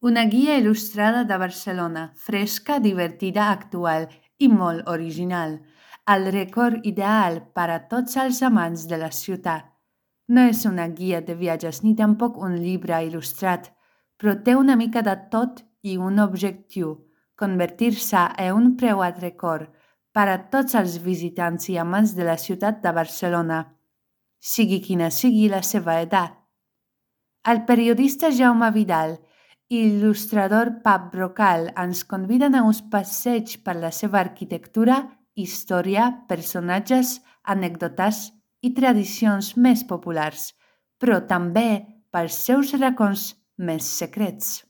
Una guia il·lustrada de Barcelona, fresca, divertida, actual i molt original. El record ideal per a tots els amants de la ciutat. No és una guia de viatges ni tampoc un llibre il·lustrat, però té una mica de tot i un objectiu, convertir-se en un preuat record per a tots els visitants i amants de la ciutat de Barcelona, sigui quina sigui la seva edat. El periodista Jaume Vidal i l'il·lustrador Pap Brocal ens conviden a uns passeigs per la seva arquitectura, història, personatges, anècdotes i tradicions més populars, però també pels seus racons més secrets.